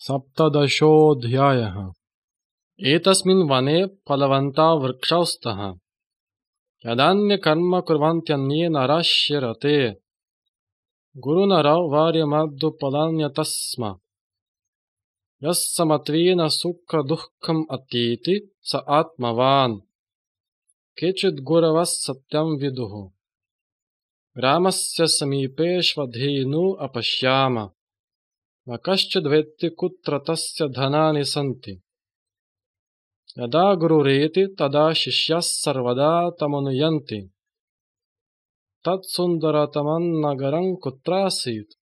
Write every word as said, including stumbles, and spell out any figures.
सप्तदशोऽध्यायः। एतस्मिन् वने फलवन्ता वृक्षौ स्तः। यदान्यकर्म कुर्वन्त्यन्ये नराः रते। गुरुनरो वार्यमद्युपलान्यतः स्म। यः समत्वेन सुखदुःखम् अतीति स आत्मवान्। केचिद्गुरवः सत्यं विदुः। ग्रामस्य समीपेष्वधेनु अपश्याम। न कश्चिद्वेत्ति कुत्र तस्य धनानि सन्ति। यदा गुरुरेति तदा शिष्याः सर्वदा तमनुयन्ति। तत्सुन्दरतमं नगरं कुत्रासीत्।